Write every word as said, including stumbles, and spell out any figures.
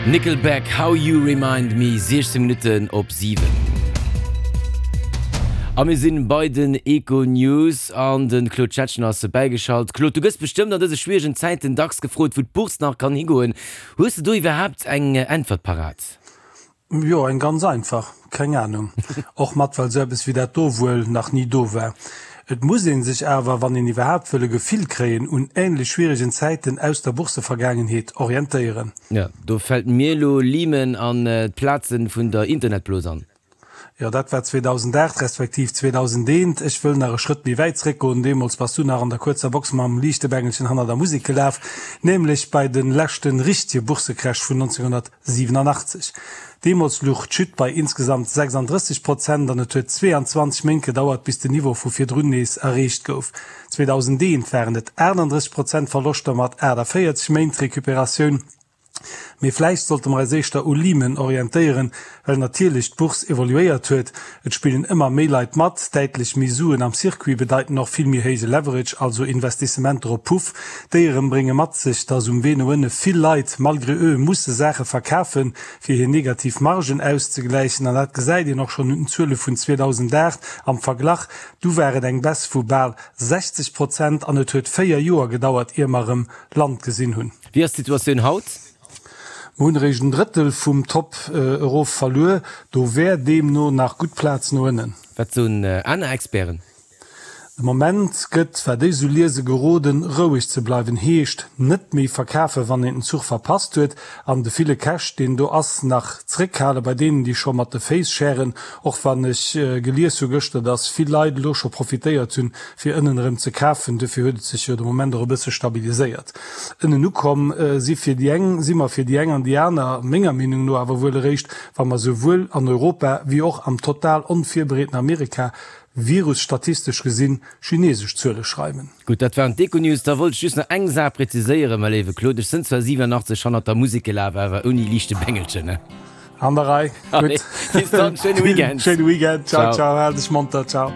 Nickelback, How You Remind Me, siechzéng Minutten op siwen. A mir sinn bei den Econews an de Claude Schettgen ass bäigeschalt. Claude, du gëss bestëmmt an dëse schwieregen Zäiten dacks gefrot, wou d'Bourse nach kann higoen. Hues de do iwwerhaapt eng Äntwert parat? Jo, eng ganz einfach, Keng Anung. Och mat well sou eppes wéi dat do wuel nach ni do war. Et muss ee sech awer, wann een iwwerhaapt wëll e Gefill kréien, un änlech schwieregen Zäiten aus der Boursevergaangenheet orientéieren. Jo, do fält mir elo Lehman an d'Platzen vun der Internetblos an. Jo, dat war zweedausendacht respektiv zweedausendeent. Ech wëll nach e Schrëtt méi wäit zréckgoen. Deemools bass du nach an der kuerzer Box mam Liichtebengelchen hanner der Musek gelaf, nämlech bei de leschte richtege Bourssecrash vun nonzénghonnertsiwenanachtzeg. Deemools luch d'Chute bei insgesamt sechsanddrësseg Prozent an et huet zweeanzwanzeg Méint gedauert, bis den Niveau vu virdrun nees erreecht gouf. zweedausendeent waren et aachtanddrësseg Prozent Verloschter mat aachtavéierzeg Méint Recuperatioun. Mee vläicht sollte mer eis éischter u Lehman orientéieren, well natierlech d'Bourse evoluéiert huet. Et spillen ëmmer méi Leit mat, däitlech méi Suen am Circuit bedeiten och vill méi héije Leverage, also Investissementer op Puff. Déi erëm brénge mat sech, dass um Wee no ënne vill Leit malgré eux musse Saache verkafen, fir hir negativ Margen auszegläichen. An dat gesäit een och schonn un den Zuele vun zweedausendacht am Verglach. Du war et eng Baisse vu bal sechzeg Prozent an et huet véier Joer gedauert, ier mer erëm Land gesinn hunn. Wéi ass d'Situatioun haut? Mer hunn eréischt en Drëttel vum Top erof verluer. Do wär deemno nach gutt Plaz no ënnen. Wat soen aner Experten? De Moment gëtt, wat ech esou liese, geroden, roueg ze bleiwen. Heescht, net méi verkafen, wann een den Zuch verpasst huet, an de ville Cash, deen do ass, nach zréckhale bei deenen, déi scho mat de Féiss schären. Och wann ech gelies hu gëschter, dass vill Leit elo scho profitéiert hunn, fir ënnen erëm ze kafen. Dofir huet et sech jo de Moment och e bësse stabiliséiert. Ënnen ukomm si fir déi eng, si mer fir déi eng an déi aner, menger Meenung no awer wuel eréischt, wa mer souwuel an Europa wéi och am total onvirbereeten Amerika virusstatistesch gesinn chinesesch Zuele schreiwen. Gutt, dat waren d'Econews. Da wollt ech just nach eng Saach präziséieren, mäi léiwe Claude, Ech sënn zwar siwenunachtzeg hannert der Musek gelaf, awer ouni liichte Bengelchen, ne? An der Rei. Gutt. Bis dann, schéine Weekend. Schéine Weekend. Ciao, ciao. Hal dech monter. Ciao.